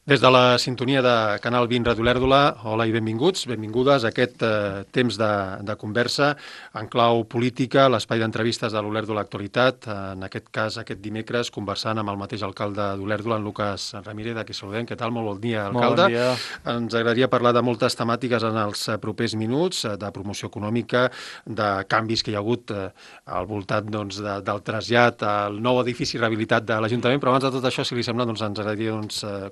Des de la sintonia de Canal 20 Ràdio Olèrdola, hola i benvinguts, benvingudes a aquest temps de conversa en clau política, l'espai d'entrevistes de l'Olèrdola Actualitat, en aquest cas aquest dimecres conversant amb el mateix alcalde d'Olèrdola, en Lucas Ramírez, a qui saludem. Què tal? Molt bon dia, Molt bon alcalde. dia. Ens agradaria parlar de moltes temàtiques en els propers minuts, de promoció econòmica, de canvis que hi ha hagut al voltant del trasllat al nou edifici rehabilitat de l'Ajuntament, però abans de tot això, si li sembla, ens agradaria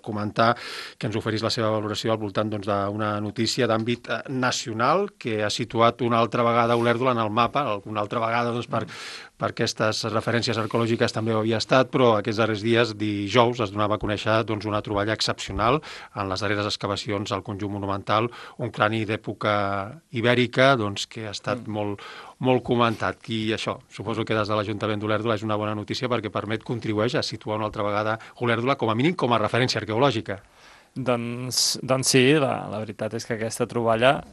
comentar que ens oferís la seva valoració al voltant d'una notícia d'àmbit nacional que ha situat una altra vegada Olèrdola en el mapa, una altra vegada per aquestes referències arqueològiques també ho havia estat, però aquests darrers dies, dijous, es donava a conèixer una troballa excepcional en les darreres excavacions al conjunt monumental, un crani d'època ibèrica que ha estat molt comentat. I això, suposo que des de l'Ajuntament d'Olèrdola és una bona notícia perquè contribueix a situar una altra vegada Olèrdola com a mínim com a referència arqueològica. Doncs sí, la veritat és que aquesta troballa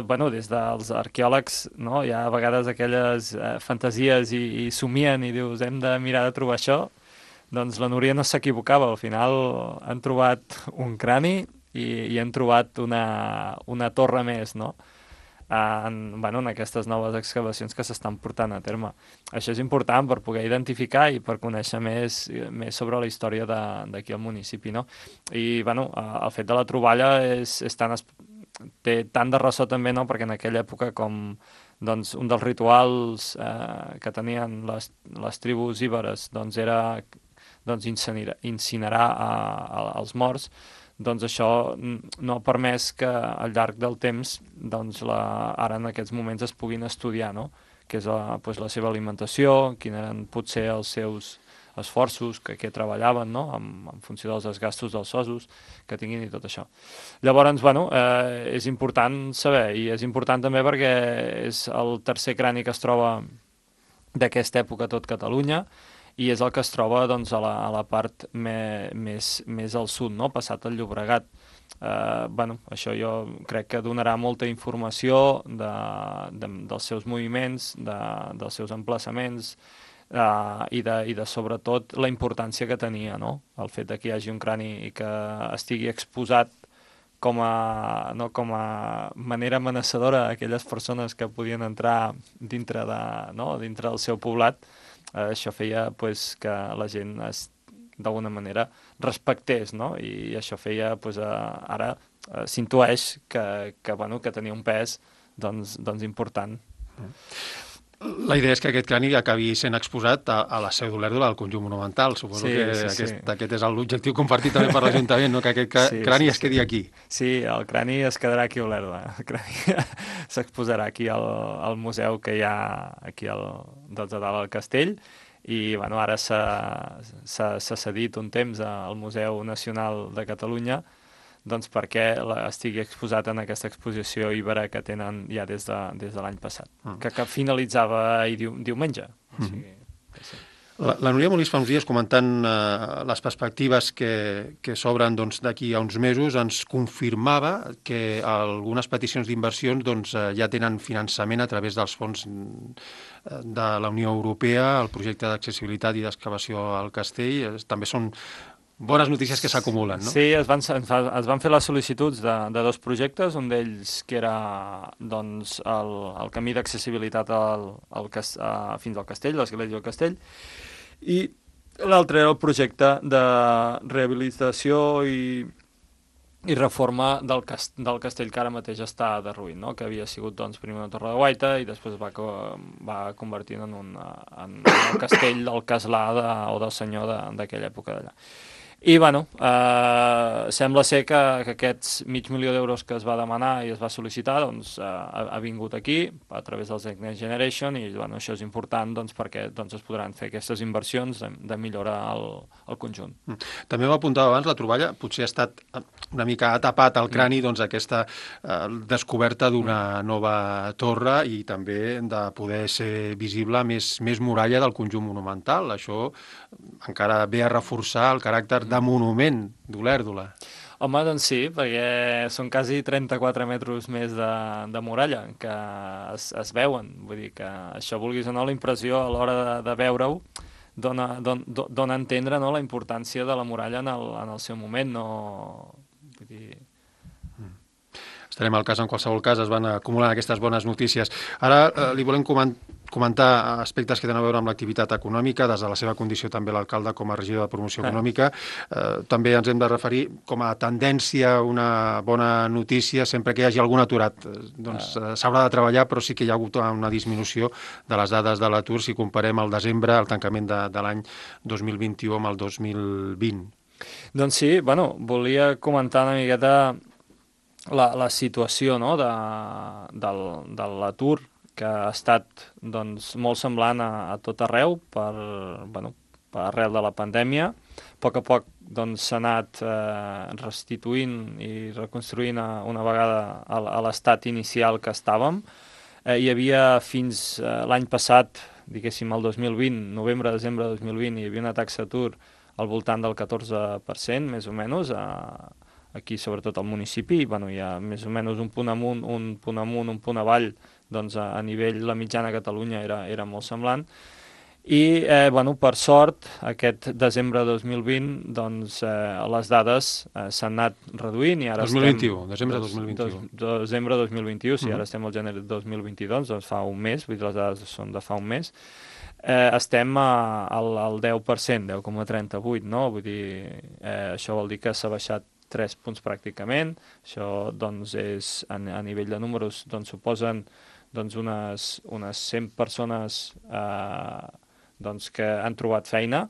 bueno, des dels arqueòlegs, no? Hi ha a vegades aquelles fantasies i somien i dius hem de mirar de trobar això, doncs la Núria no s'equivocava, al final han trobat un crani i han trobat una torre més, no? En aquestes noves excavacions que s'estan portant a terme. Això és important per poder identificar i per conèixer més sobre la història d'aquí al municipi, no? I, bueno, el fet de la troballa té tant de ressò també, no? Perquè en aquella època com doncs, un dels rituals que tenien les tribus íberes era incinerar els morts. Doncs això no ha permès que al llarg del temps ara en aquests moments es puguin estudiar, no? Què és la seva alimentació, quins eren potser els seus esforços, que treballaven, no? En funció dels desgastos dels ossos que tinguin i tot això. Llavors, bueno, és important saber, i és important també perquè és el tercer crani que es troba d'aquesta època a tot Catalunya, i és el que es troba doncs, a la part més al sud, no? Passat el Llobregat. Això jo crec que donarà molta informació dels seus moviments, dels seus emplaçaments i de sobretot la importància que tenia, no? El fet que hi hagi un crani i que estigui exposat com a manera amenaçadora a aquelles persones que podien entrar dintre del seu poblat. Això feia que la gent d'alguna manera respectés, no? I això feia, ara s'intueix que tenia un pes important. La idea és que aquest crani acabi sent exposat a la seu d'Olèrdola, al conjunt monumental. Suposo que aquest és l'objectiu compartit també per l'Ajuntament, no? Que aquest crani es quedi aquí. Sí, el crani es quedarà aquí a Olèrdola. El crani s'exposarà aquí al museu que hi ha aquí a dalt al castell, i ara s'ha cedit un temps al Museu Nacional de Catalunya perquè estigui exposat en aquesta exposició íbera que tenen ja des de l'any passat, que finalitzava diumenge. O sigui, sí. La Núria Molís fa uns dies comentant les perspectives que s'obren d'aquí a uns mesos ens confirmava que algunes peticions d'inversions ja tenen finançament a través dels fons de la Unió Europea, el projecte d'accessibilitat i d'excavació al castell. També són bones notícies que s'acumulen, no? Sí, es van fer les sol·licituds de dos projectes, un d'ells que era el camí d'accessibilitat fins al castell, l'església del castell, i l'altre era el projecte de rehabilitació i reforma del castell que ara mateix està derruït, no? Que havia sigut primer una torre de guaita i després va convertir en el castell del castlà o del senyor d'aquella època d'allà. I, sembla ser que aquests $500.000 que es va demanar i es va sol·licitar, ha vingut aquí a través dels Next Generation, i això és important perquè es podran fer aquestes inversions de millorar el conjunt. També m'apuntava abans, la troballa potser ha estat una mica atapat al crani aquesta descoberta d'una nova torre i també de poder ser visible més muralla del conjunt monumental. Això encara ve a reforçar el caràcter de monument d'Olèrdola. Home, doncs sí, perquè són quasi 34 metres més de muralla que es veuen. Vull dir que això, vulguis o no, la impressió a l'hora de veure-ho dona a entendre, no, la importància de la muralla en el seu moment. No, vull dir... Estarem al cas, en qualsevol cas, es van acumulant aquestes bones notícies. Ara li volem comentar aspectes que tenen a veure amb l'activitat econòmica, des de la seva condició també l'alcalde com a regidor de promoció econòmica. També ens hem de referir com a tendència, una bona notícia, sempre que hi hagi algun aturat. Doncs s'haurà de treballar, però sí que hi ha hagut una disminució de les dades de l'atur si comparem el desembre, el tancament de l'any 2021 amb el 2020. Doncs sí, bueno, volia comentar una miqueta la situació, no, de l'atur, que ha estat doncs, molt semblant a tot arreu per arrel de la pandèmia. A poc doncs, s'ha anat restituint i reconstruint una vegada a l'estat inicial que estàvem. Hi havia fins l'any passat, diguéssim el 2020, novembre-desembre de 2020, hi havia una taxa d'atur al voltant del 14%, més o menys, aquí sobretot al municipi, hi ha més o menys un punt amunt, un punt avall, doncs a nivell la mitjana a Catalunya era molt semblant. I, per sort, aquest desembre de 2020, doncs les dades s'han anat reduint i ara 2021, desembre de 2021. Desembre de 2021, si ara estem al gener de 2022, doncs fa un mes, vull dir, les dades són de fa un mes, estem al 10%, 10,38, no? Vull dir, això vol dir que s'ha baixat 3 punts pràcticament. Això doncs, és, a nivell de números, doncs, suposen doncs, unes 100 persones doncs, que han trobat feina,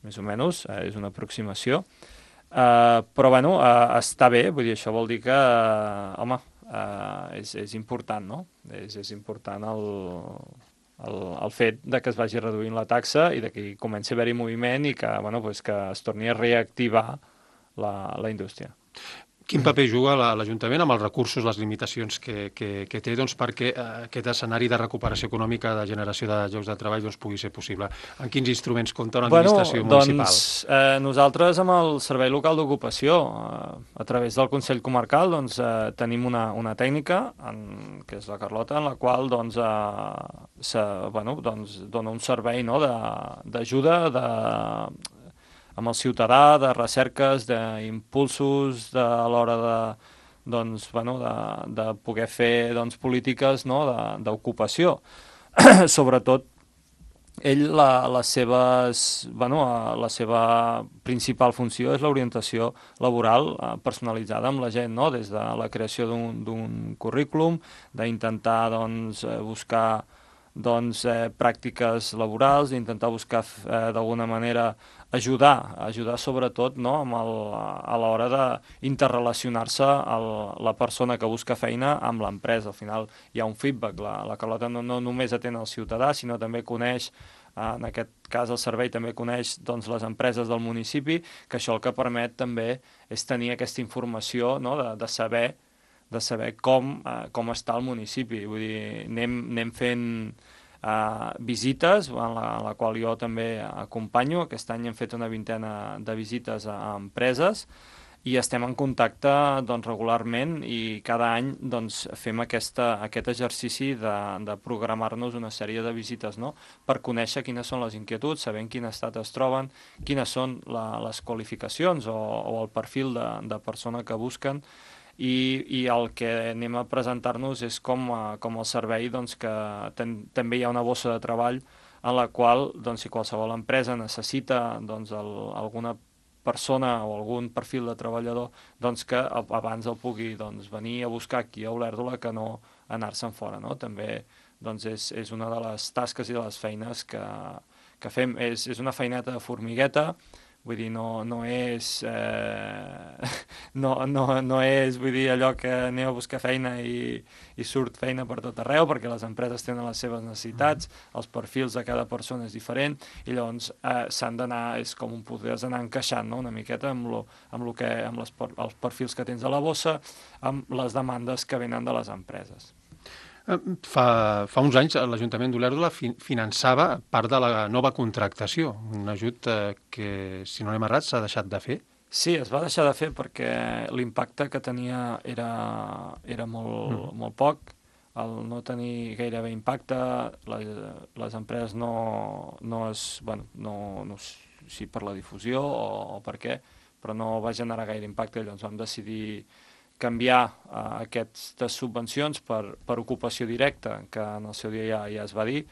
més o menys, és una aproximació. Però està bé, vull dir, això vol dir que, és important, no? És important el fet de que es vagi reduint la taxa i de que comenci a haver-hi moviment i que, que es torni a reactivar la indústria. Quin paper juga l'Ajuntament amb els recursos, les limitacions que té perquè aquest escenari de recuperació econòmica, de generació de llocs de treball pugui ser possible? En quins instruments compta una administració municipal? Nosaltres amb el Servei Local d'Ocupació, a través del Consell Comarcal, tenim una tècnica, que és la Carlota, en la qual dona un servei d'ajuda, amb el ciutadà, de recerques, d'impulsos, a l'hora de poder fer polítiques d'ocupació. Sobretot, ell, la seva principal funció és l'orientació laboral personalitzada amb la gent, des de la creació d'un currículum, d'intentar buscar pràctiques laborals, d'intentar buscar d'alguna manera ajudar sobretot a l'hora d'interrelacionar-se la persona que busca feina amb l'empresa. Al final hi ha un feedback, la Carlota no només atén el ciutadà, sinó també coneix, en aquest cas el servei també coneix les empreses del municipi, que això el que permet també és tenir aquesta informació, de saber com està el municipi. Vull dir, anem fent visites, en la qual jo també acompanyo. Aquest any hem fet una vintena de visites a empreses i estem en contacte regularment i cada any fem aquest exercici de programar-nos una sèrie de visites, per conèixer quines són les inquietuds, saber en quin estat es troben, quines són les qualificacions o el perfil de persona que busquen. I el que anem a presentar-nos és com el servei que també hi ha una bossa de treball en la qual si qualsevol empresa necessita alguna persona o algun perfil de treballador que abans el pugui venir a buscar aquí a Olèrdola que no anar-se'n fora. També és una de les tasques i de les feines que fem. És una feineta de formigueta. Vull dir, no és vull dir, allò que aneu a buscar feina i surt feina per tot arreu, perquè les empreses tenen les seves necessitats, els perfils de cada persona és diferent, i llavors s'han d'anar, és com podries anar encaixant una miqueta amb els perfils que tens a la bossa, amb les demandes que venen de les empreses. Fa uns anys l'Ajuntament d'Olèrdola finançava part de la nova contractació, un ajut que, si no anem errats, s'ha deixat de fer. Sí, es va deixar de fer perquè l'impacte que tenia era molt poc. el no tenir gairebé impacte, les empreses no es, bueno, no si per la difusió o per què, però no va generar gaire impacte, llavors vam decidir canviar aquestes subvencions per ocupació directa, que en el seu dia ja es va dir.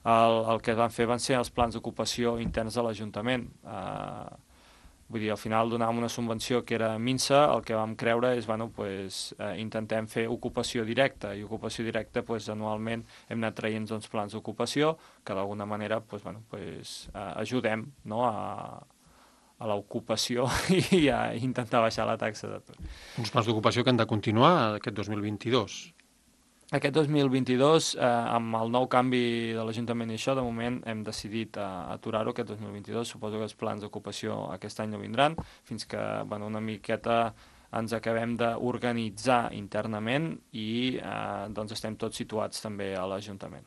El que van fer van ser els plans d'ocupació interns de l'Ajuntament. Vull dir, al final donàvem una subvenció que era minsa, el que vam creure és, bueno, pues, intentem fer ocupació directa, i ocupació directa, pues, anualment hem anat traient uns plans d'ocupació que d'alguna manera, pues, bueno, pues, ajudem, no?, a l'ocupació i a intentar baixar la taxa d'atur. Uns plans d'ocupació que han de continuar aquest 2022. Aquest 2022, amb el nou canvi de l'Ajuntament i això, de moment hem decidit aturar-ho aquest 2022. Suposo que els plans d'ocupació aquest any no vindran, fins que, bueno, una miqueta ens acabem d'organitzar internament i doncs estem tots situats també a l'Ajuntament.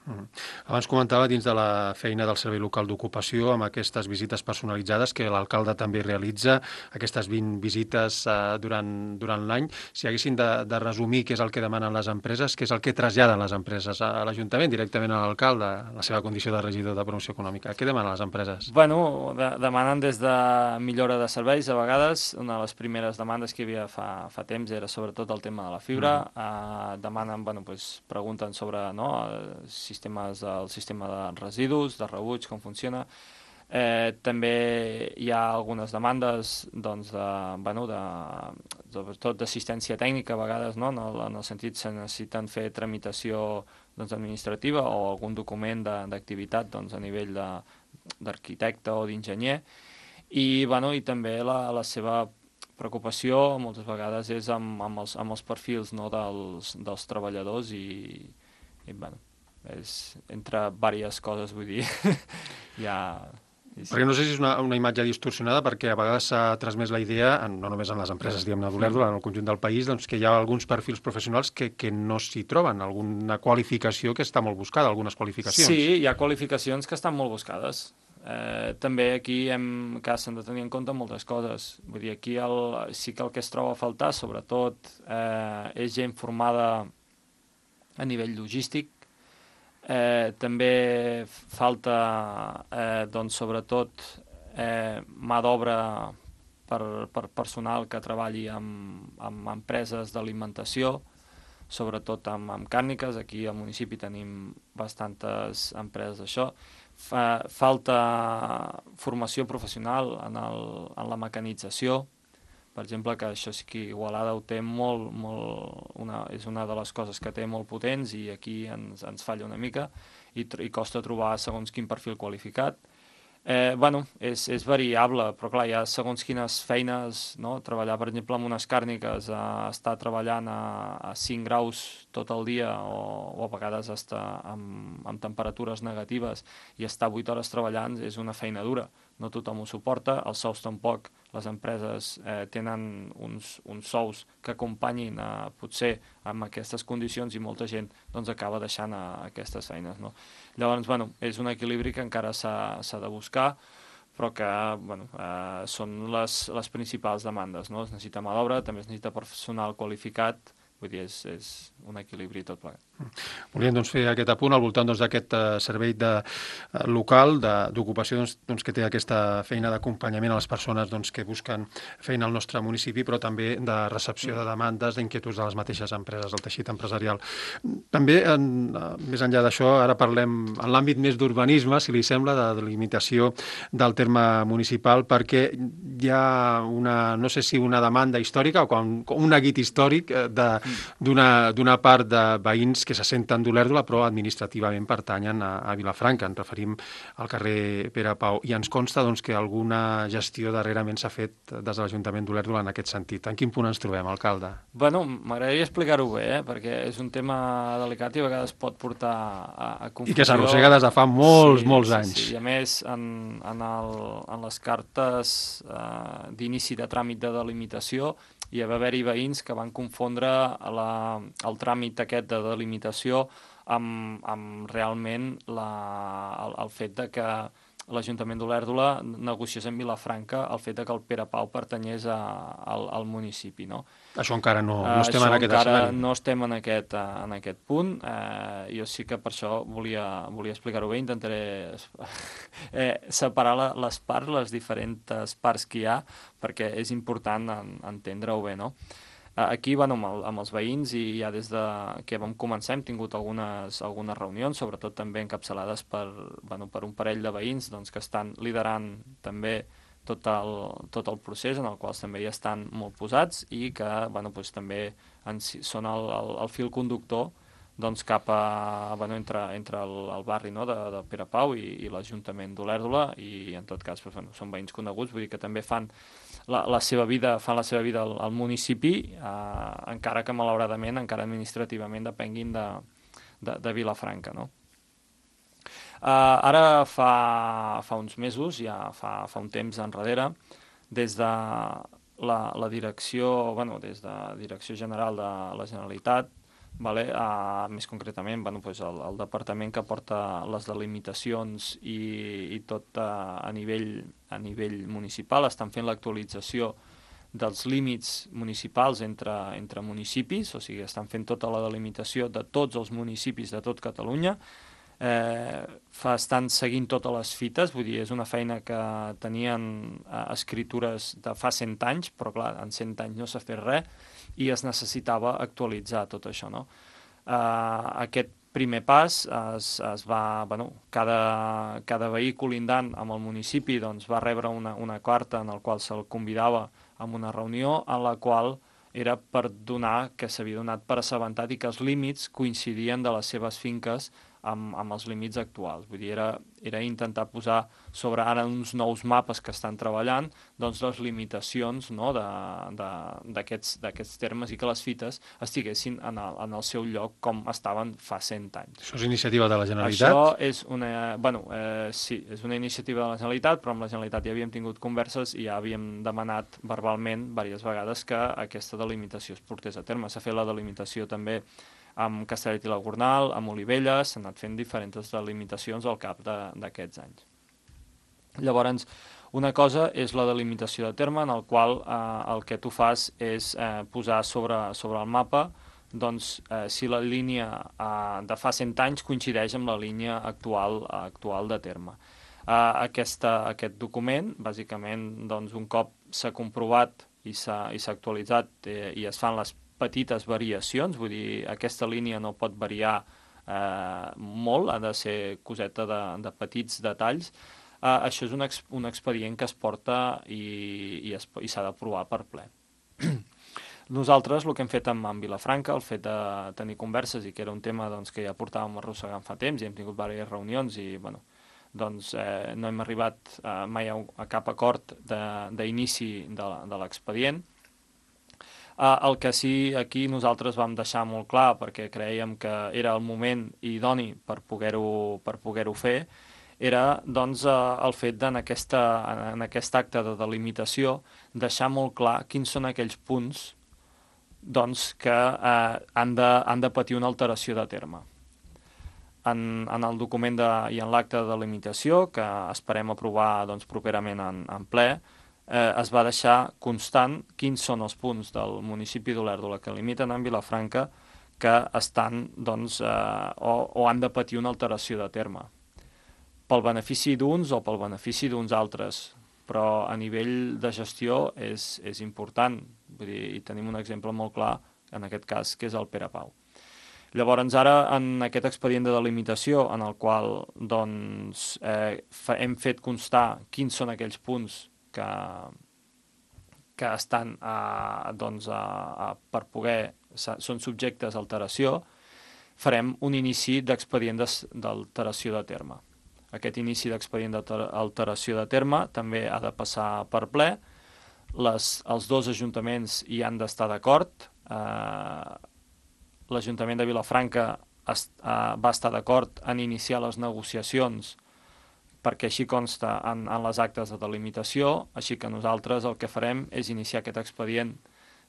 Abans comentava dins de la feina del Servei Local d'Ocupació amb aquestes visites personalitzades que l'alcalde també realitza, aquestes 20 visites durant l'any. Si haguessin de resumir què és el que demanen les empreses, què és el que traslladen les empreses a l'Ajuntament, directament a l'alcalde, la seva condició de regidor de promoció econòmica, què demanen les empreses? Bueno, demanen des de millora de serveis, a vegades. Una de les primeres demandes que hi havia fa temps era sobretot el tema de la fibra. Demanen, bueno, pues, pregunten sobre, no, el sistema de residus, de rebuig, com funciona. També hi ha algunes demandes, doncs, sobretot d'assistència tècnica a vegades, no? En el sentit que necessiten fer tramitació, doncs, administrativa o algun document d'activitat, doncs, a nivell d'arquitecte o d'enginyer. I, bueno, i també la seva preocupació moltes vegades és amb els perfils, no, dels treballadors i bueno, és entre diverses coses, vull dir, Perquè no sé si és una imatge distorsionada, perquè a vegades s'ha transmès la idea, no només en les empreses, diguem-ne, d'Olèrdola, en el conjunt del país, doncs, que hi ha alguns perfils professionals que no s'hi troben, alguna qualificació que està molt buscada, algunes qualificacions. Sí, hi ha qualificacions que estan molt buscades. També aquí s'han de tenir en compte moltes coses. Vull dir, aquí sí que el que es troba a faltar, sobretot, és gent formada a nivell logístic. També falta, doncs, sobretot, mà d'obra per personal que treballi amb empreses d'alimentació, sobretot amb càrniques. Aquí al municipi tenim bastantes empreses d'això. Falta formació professional en la mecanització, per exemple, que això sí que Igualada ho té és una de les coses que té molt potents i aquí ens falla una mica i costa trobar segons quin perfil qualificat. Bueno, és variable, però clar, hi ha segons quines feines, no? Treballar, per exemple, amb unes càrniques, estar treballant a 5 graus tot el dia o a vegades estar amb temperatures negatives i estar 8 hores treballant és una feina dura. No tothom ho suporta, els sous tampoc. Les empreses tenen uns sous que acompanyin potser amb aquestes condicions i molta gent doncs, acaba deixant aquestes feines, no? Llavors, bueno, és un equilibri que encara s'ha de buscar, però que bueno, són les principals demandes, no? Es necessita mà d'obra, també es necessita personal qualificat, vull dir, és un equilibri tot plegat. Volíem doncs, fer aquest apunt al voltant d'aquest servei local d'ocupació que té aquesta feina d'acompanyament a les persones que busquen feina al nostre municipi, però també de recepció de demandes, d'inquietuds de les mateixes empreses, del teixit empresarial. També, més enllà d'això, ara parlem en l'àmbit més d'urbanisme, si li sembla, de delimitació del terme municipal, perquè hi ha no sé si una demanda històrica o un neguit històric d'una part de veïns que se senten d'Olèrdola però administrativament pertanyen a Vilafranca. Ens referim al carrer Pere Pau. I ens consta que alguna gestió darrerament s'ha fet des de l'Ajuntament d'Olèrdola en aquest sentit. En quin punt ens trobem, alcalde? Bueno, m'agradaria explicar-ho bé, perquè és un tema delicat i a vegades pot portar a confusió. I que s'arrossega des de fa molts anys. Sí. I a més, en les cartes d'inici de tràmit de delimitació hi va haver-hi veïns que van confondre el tràmit aquest de delimitació amb realment el fet de que l'Ajuntament d'Olèrdola negociés amb Vilafranca el fet que el Pere Pau pertanyés al municipi, no? Això encara no estem en aquest escenari. Això encara no estem en aquest punt. Jo sí que per això volia explicar-ho bé, intentaré separar les diferents parts que hi ha, perquè és important entendre-ho bé, no? Aquí, amb els veïns, i ja des que vam començar hem tingut algunes reunions, sobretot també encapçalades per un parell de veïns doncs, que estan liderant també tot el procés, en el qual també hi estan molt posats i que doncs, també són el fil conductor doncs, cap entre el barri, no, de Pere Pau i l'Ajuntament d'Olèrdola, i en tot cas són veïns coneguts, vull dir que també fan la seva vida al municipi, encara que malauradament, encara administrativament depenguin de Vilafranca, no? Ara fa uns mesos, ja fa un temps enrere, des de la direcció, des de Direcció General de la Generalitat, més concretament el departament que porta les delimitacions i tot a nivell municipal, estan fent l'actualització dels límits municipals entre municipis, o sigui, estan fent tota la delimitació de tots els municipis de tot Catalunya, estan seguint totes les fites, vull dir, és una feina que tenien escritures de fa 100 anys, però clar, en 100 anys no s'ha fet res, i es necessitava actualitzar tot això, no? Aquest primer pas es va, cada veí colindant amb el municipi doncs, va rebre una carta en la qual se'l convidava a una reunió en la qual era per donar que s'havia donat per assabentat i que els límits coincidien de les seves finques amb els límits actuals. Vull dir, era intentar posar sobre ara uns nous mapes que estan treballant doncs les limitacions, no, d'aquests termes i que les fites estiguessin en el seu lloc com estaven fa 100 anys. Això és iniciativa de la Generalitat? Això és sí, és una iniciativa de la Generalitat, però amb la Generalitat ja havíem tingut converses i ja havíem demanat verbalment diverses vegades que aquesta delimitació es portés a terme. S'ha fet la delimitació també amb Castellet i la Gornal, amb Olivella, s'han anat fent diferents delimitacions al cap d'aquests anys. Llavors, una cosa és la delimitació de terme, en el qual el que tu fas és posar sobre el mapa doncs, si la línia de fa 100 anys coincideix amb la línia actual de terme. Aquest document, bàsicament, doncs, un cop s'ha comprovat i s'ha actualitzat i es fan les petites variacions, vull dir, aquesta línia no pot variar molt, ha de ser coseta de petits detalls. Això és un expedient que es porta i s'ha d'aprovar per ple. Nosaltres el que hem fet amb Vilafranca, el fet de tenir converses i que era un tema doncs, que ja portàvem arrossegant fa temps i hem tingut diverses reunions i doncs, no hem arribat mai a cap acord d'inici de l'expedient. El que sí aquí nosaltres vam deixar molt clar, perquè creiem que era el moment idoni per poder-ho fer, era doncs, el fet en aquest acte de delimitació deixar molt clar quins són aquells punts doncs, que han de patir una alteració de terme. En el document i en l'acte de delimitació, que esperem aprovar doncs, properament en ple, es va deixar constant quins són els punts del municipi d'Olèrdola que limiten amb Vilafranca que estan doncs, o han de patir una alteració de terme pel benefici d'uns o pel benefici d'uns altres, però a nivell de gestió és important. Vull dir, i tenim un exemple molt clar en aquest cas, que és el Pere Pau. Llavors, ara, en aquest expedient de delimitació, en el qual doncs, hem fet constar quins són aquells punts que estan doncs, per poder, són subjectes a alteració, farem un inici d'expedient d'alteració de terme. Aquest inici d'expedient d'alteració de terme també ha de passar per ple. Els dos ajuntaments hi han d'estar d'acord. L'Ajuntament de Vilafranca va estar d'acord en iniciar les negociacions perquè així consta en les actes de delimitació, així que nosaltres el que farem és iniciar aquest expedient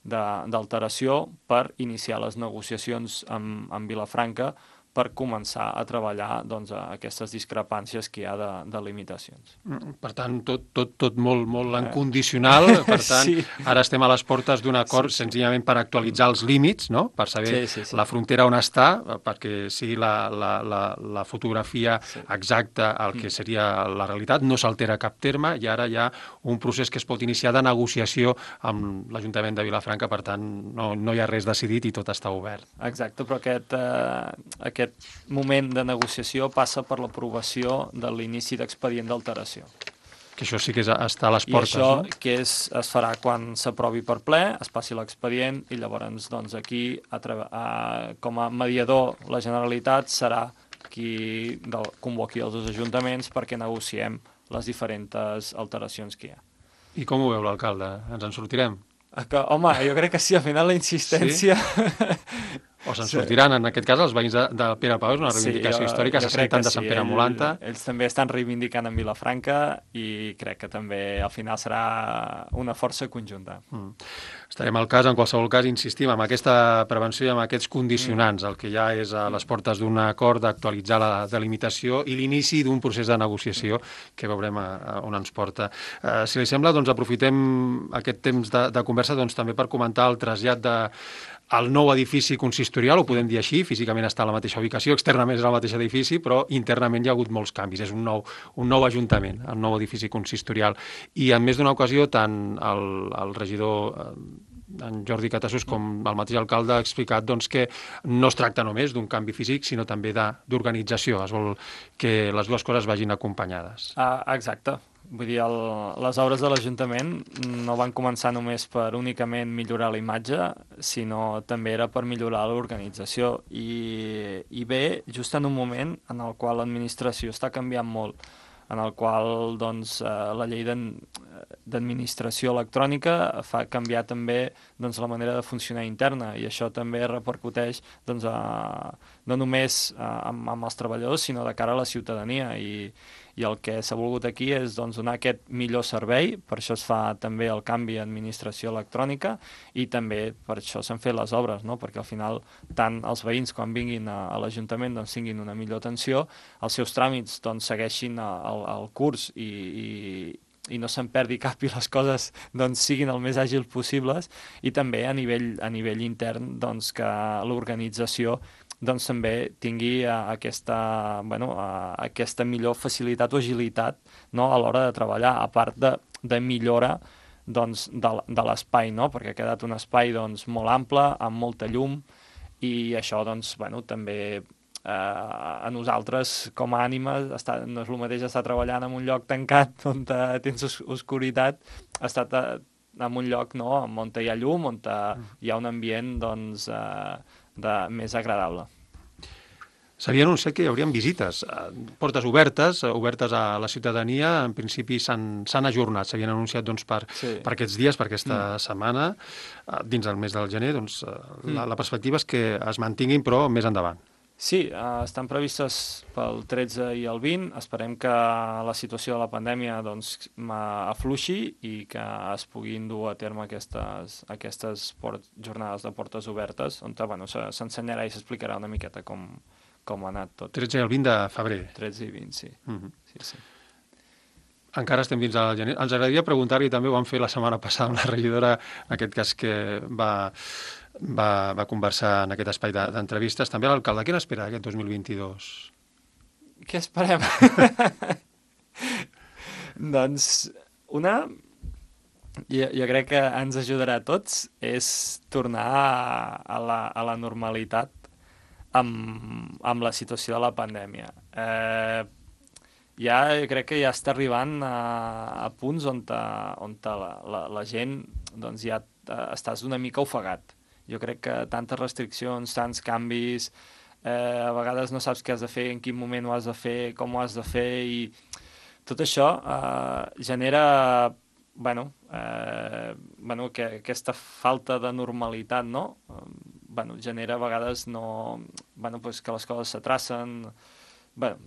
d'alteració per iniciar les negociacions amb Vilafranca per començar a treballar doncs, aquestes discrepàncies que hi ha de limitacions. Per tant, tot molt en condicional, per tant, sí. Ara estem a les portes d'un acord senzillament per actualitzar els límits, no? Per saber la frontera on està, perquè sigui la fotografia exacta el que seria la realitat, no s'altera cap terme i ara hi ha un procés que es pot iniciar de negociació amb l'Ajuntament de Vilafranca, per tant, no hi ha res decidit i tot està obert. Exacte, però aquest moment de negociació passa per l'aprovació de l'inici d'expedient d'alteració. Que això sí que està a les portes, no? I això no? que es farà quan s'aprovi per ple, es passi l'expedient i llavors doncs, aquí, com a mediador, la Generalitat serà qui convoqui els dos ajuntaments perquè negociem les diferents alteracions que hi ha. I com ho veu l'alcalde? Ens en sortirem? Home, jo crec que sí, al final la insistència... Sí? O se'n sortiran, en aquest cas, els veïns de Pere Pau, és una reivindicació històrica, se senten de Sant Pere Molanta. Ells també estan reivindicant en Vilafranca i crec que també al final serà una força conjunta. Estarem al cas, en qualsevol cas, insistim en aquesta prevenció i en aquests condicionants. El que ja és a les portes d'un acord d'actualitzar la delimitació i l'inici d'un procés de negociació que veurem on ens porta. Si li sembla, doncs aprofitem aquest temps de conversa també per comentar el trasllat el nou edifici consistorial, ho podem dir així, físicament està a la mateixa ubicació, externament és el mateix edifici, però internament hi ha hagut molts canvis. És un nou ajuntament, el nou edifici consistorial. I en més d'una ocasió, tant el regidor en Jordi Catassús com el mateix alcalde ha explicat que no es tracta només d'un canvi físic, sinó també d'organització. Es vol que les dues coses vagin acompanyades. Exacte. Vull dir, les obres de l'Ajuntament no van començar només per únicament millorar la imatge, sinó també era per millorar l'organització. I ve just en un moment en el qual l'administració està canviant molt, en el qual la llei d'administració electrònica fa canviar també la manera de funcionar interna i això també repercuteix no només amb els treballadors, sinó de cara a la ciutadania i el que s'ha volgut aquí és donar aquest millor servei, per això es fa també el canvi d'administració electrònica i també per això s'han fet les obres, no? Perquè al final tant els veïns quan vinguin a l'Ajuntament tinguin una millor atenció, els seus tràmits segueixin el curs i no se'n perdi cap i les coses siguin el més àgils possibles i també a nivell intern que l'organització també tingui aquesta millor facilitat o agilitat, no? A l'hora de treballar, a part de millora de l'espai, no? Perquè ha quedat un espai molt ample, amb molta llum, i això també a nosaltres com a ànimes no és el mateix estar treballant en un lloc tancat on tens oscuritat, estar en un lloc on hi ha llum, on hi ha un ambient més agradable. S'havia anunciat que hi haurien visites, portes obertes a la ciutadania, en principi s'han ajornat, s'havien anunciat per aquests dies, per aquesta setmana, dins del mes del gener, la perspectiva és que es mantinguin, però més endavant. Sí, estan previstes pel 13 i el 20. Esperem que la situació de la pandèmia afluixi i que es puguin dur a terme aquestes jornades de portes obertes, on s'ensenyarà i s'explicarà una miqueta com ha anat tot. 13 i el 20 de febrer. 13 i 20, sí. Sí. Encara estem dins del gener. Ens agradaria preguntar-li, també ho vam fer la setmana passada amb la regidora, en aquest cas que va conversar en aquest espai d'entrevistes, també a l'alcalde. Què n'espera aquest 2022? Què esperem? Jo crec que ens ajudarà a tots és tornar a la normalitat amb la situació de la pandèmia. Jo crec que ja està arribant a punts on la gent ja estàs una mica ofegat. Jo crec que tantes restriccions, tants canvis, a vegades no saps què has de fer, en quin moment ho has de fer, com ho has de fer, i tot això genera aquesta falta de normalitat, no? Genera a vegades que les coses s'atracen,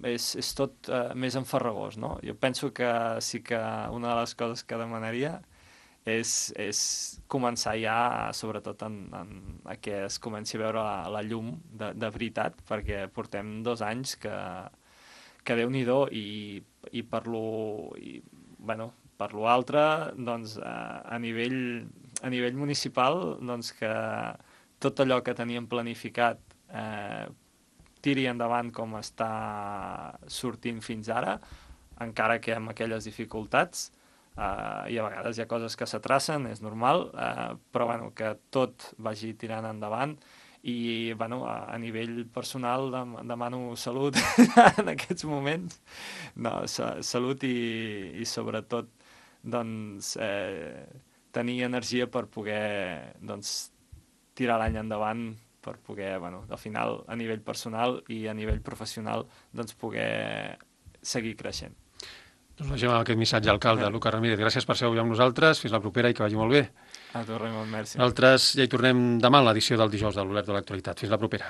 és tot més enfarragós, no? Jo penso que sí que una de les coses que demanaria és començar ja, sobretot a que es comenci a veure la llum de veritat, perquè portem 2 anys que Déu-n'hi-do, i per lo altre, doncs, a nivell municipal, doncs, que tot allò que teníem planificat tiri endavant com està sortint fins ara, encara que amb aquelles dificultats, i a vegades hi ha coses que s'atracen, és normal, però bueno, que tot vagi tirant endavant. I bueno, a nivell personal demano salut en aquests moments, no, salut i sobretot doncs, tenir energia per poder doncs, tirar l'any endavant, per poder, bueno, al final, a nivell personal i a nivell professional, doncs poder seguir creixent. Doncs deixem amb aquest missatge, alcalde Lucas Ramírez. Gràcies per ser avui amb nosaltres. Fins la propera i que vagi molt bé. A tu, Raimon, merci. Nosaltres ja hi tornem demà en l'edició del dijous de l'Olert de l'Actualitat. Fins la propera.